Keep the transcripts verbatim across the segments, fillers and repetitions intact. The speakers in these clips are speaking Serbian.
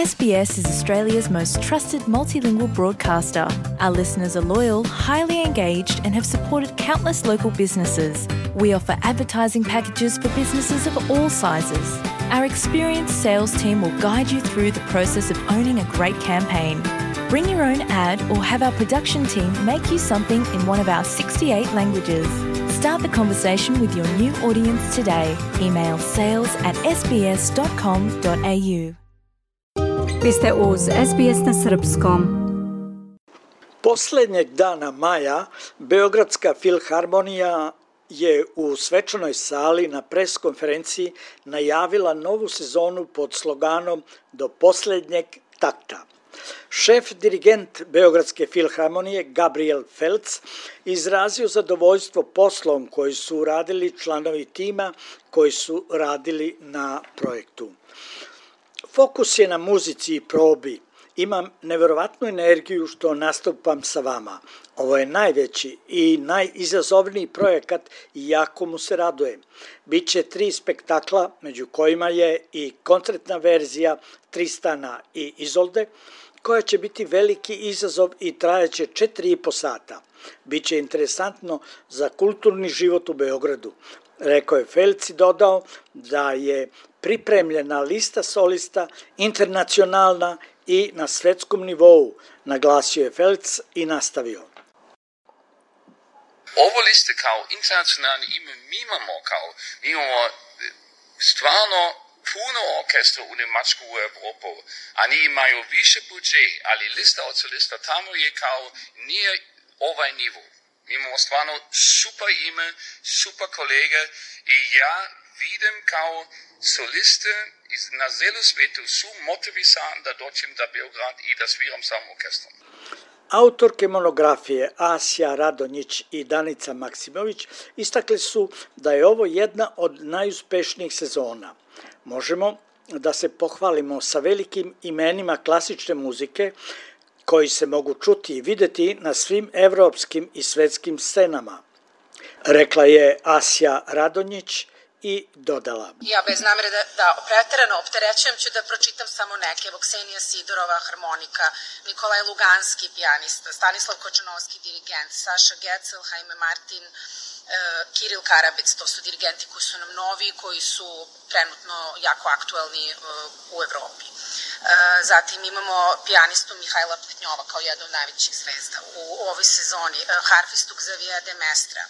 S B S is Australia's most trusted multilingual broadcaster. Our listeners are loyal, highly engaged, and have supported countless local businesses. We offer advertising packages for businesses of all sizes. Our experienced sales team will guide you through the process of owning a great campaign. Bring your own ad or have our production team make you something in one of our sixty-eight languages. Start the conversation with your new audience today. Email sales at s b s dot com dot a u. Vi ste uz S B S na srpskom. Poslednjeg dana maja Beogradska filharmonija je u svečanoj sali na pres konferenciji najavila novu sezonu pod sloganom Do poslednjeg takta. Šef dirigent Beogradske filharmonije Gabriel Felc izrazio zadovoljstvo poslom koji su uradili članovi tima koji su radili na projektu. Fokus je na muzici i probi. Imam neverovatnu energiju što nastupam sa vama. Ovo je najveći i najizazovniji projekat i jako mu se radujem. Biće tri spektakla, među kojima je i koncertna verzija Tristana i Izolde, koja će biti veliki izazov i trajaće četiri i po sata. Biće interesantno za kulturni život u Beogradu. Rekao je Felc i dodao da je pripremljena lista solista internacionalna i na svetskom nivou, naglasio je Felc i nastavio. Ovo liste kao internacionalni ime mi imamo kao, mi imamo stvarno puno orkestra u Njemačku u Evropu, a oni imaju više budžet, ali lista od solista tamo je kao nije ovaj nivo. Mi imamo stvarno super ime, super kolege i ja vidim kao soliste na celu svetu su motivisani da dođem do Beograd i da sviram sam orkestrom. Autorke monografije Asja Radonjić i Danica Maksimović istakli su da je ovo jedna od najuspešnijih sezona. Možemo da se pohvalimo sa velikim imenima klasične muzike koji se mogu čuti i videti na svim evropskim i svetskim scenama, rekla je Asja Radonjić i dodala. Ja bez namere da, da preterano opterećujem ću da pročitam samo neke. Evo Ksenija Sidorova, harmonika, Nikolaj Luganski, pijanista, Stanislav Kočanovski, dirigent, Saša Gecel, Jaime Martin, e, Kiril Karabec, to su dirigenti koji su nam novi, koji su trenutno jako aktuelni e, u Evropi. E, zatim imamo pijanistu Mihajla Petnjova kao jednu od najvećih zvezda u, u ovoj sezoni, e, harfistu Xaviera de Mestra,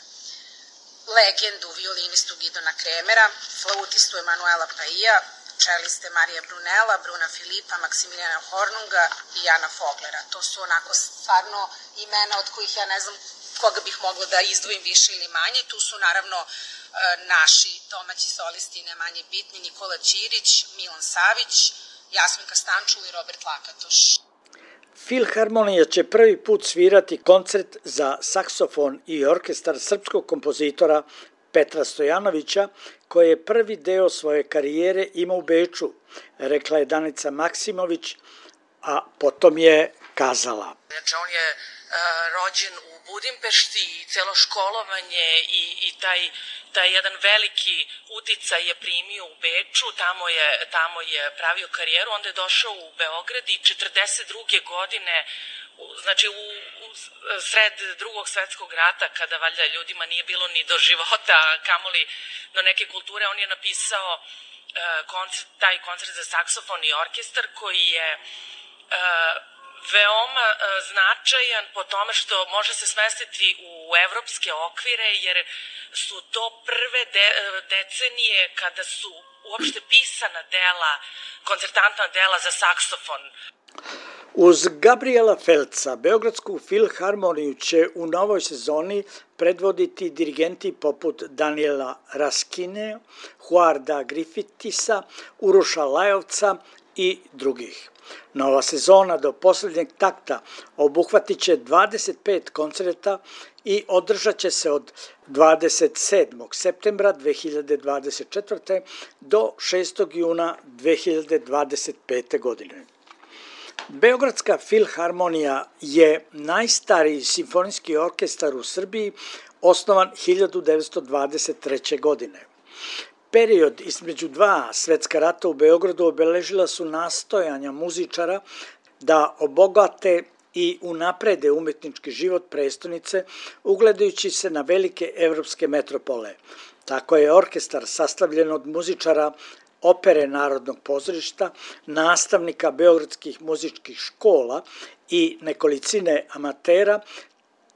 legendu violinistu Gidona Kremera, flautistu Emanuela Paija, čeliste Marija Brunela, Bruna Filipa, Maksimilijana Hornunga i Jana Foglera. To su onako stvarno imena od kojih ja ne znam koga bih mogla da izdvojim više ili manje. Tu su naravno naši domaći solisti ne manje bitni, Nikola Ćirić, Milan Savić, Jasminka Stančul i Robert Lakatoš. Filharmonija će prvi put svirati koncert za saksofon i orkestar srpskog kompozitora Petra Stojanovića, koji je prvi deo svoje karijere imao u Beču, rekla je Danica Maksimović, a potom je kazala. Znači on je uh, rođen u Budimpešti i celo školovanje i, i taj, taj jedan veliki uticaj je primio u Beču, tamo je, tamo je pravio karijeru, onda je došao u Beograd i četrdeset druge godine, znači u, u sred drugog svetskog rata, kada valjda ljudima nije bilo ni do života, kamoli do neke kulture, on je napisao uh, koncert, taj koncert za saksofon i orkestar koji je uh, veoma uh, značajan po tome što može se smestiti u evropske okvire, jer su to prve de, decenije kada su uopšte pisana dela, koncertantna dela za saksofon. Uz Gabriela Felca, Beogradsku filharmoniju će u novoj sezoni predvoditi dirigenti poput Daniela Raskine, Huarda Griffithisa, Uroša Lajovca i drugih. Nova sezona do poslednjeg takta obuhvatit će dvadeset pet koncerta i održat će se od dvadeset sedmog septembra dve hiljade dvadeset četvrte do šestog juna dve hiljade dvadeset pete. godine. Beogradska filharmonija je najstariji simfonijski orkestar u Srbiji, osnovan hiljadu devetsto dvadeset treće. godine. Period između dva svetska rata u Beogradu obeležila su nastojanja muzičara da obogate i unaprede umetnički život prestonice, ugledajući se na velike evropske metropole. Tako je orkestar sastavljen od muzičara Opere Narodnog pozorišta, nastavnika beogradskih muzičkih škola i nekolicine amatera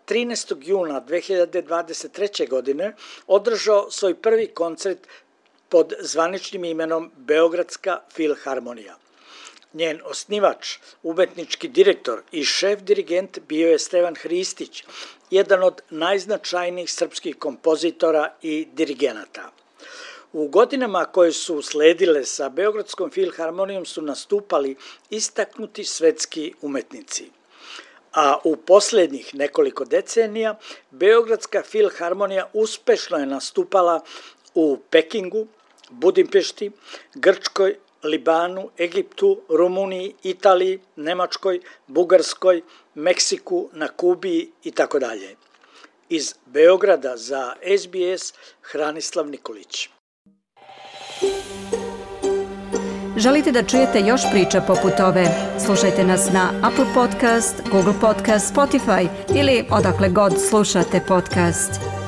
trinaestog juna dve hiljade dvadeset treće. godine održao svoj prvi koncert pod zvaničnim imenom Beogradska filharmonija. Njen osnivač, umetnički direktor i šef dirigent bio je Stevan Hristić, jedan od najznačajnijih srpskih kompozitora i dirigenata. U godinama koje su sledile sa Beogradskom filharmonijom su nastupali istaknuti svetski umetnici. A u posljednjih nekoliko decenija Beogradska filharmonija uspešno je nastupala u Pekingu, Budimpešti, Grčkoj, Libanu, Egiptu, Rumuniji, Italiji, Nemačkoj, Bugarskoj, Meksiku, na Kubi i tako dalje. Iz Beograda za S B S Hranislav Nikolić. Želite da čujete još priča poput ove? Slušajte nas na Apple Podcast, Google Podcast, Spotify ili odakle god slušate podcast.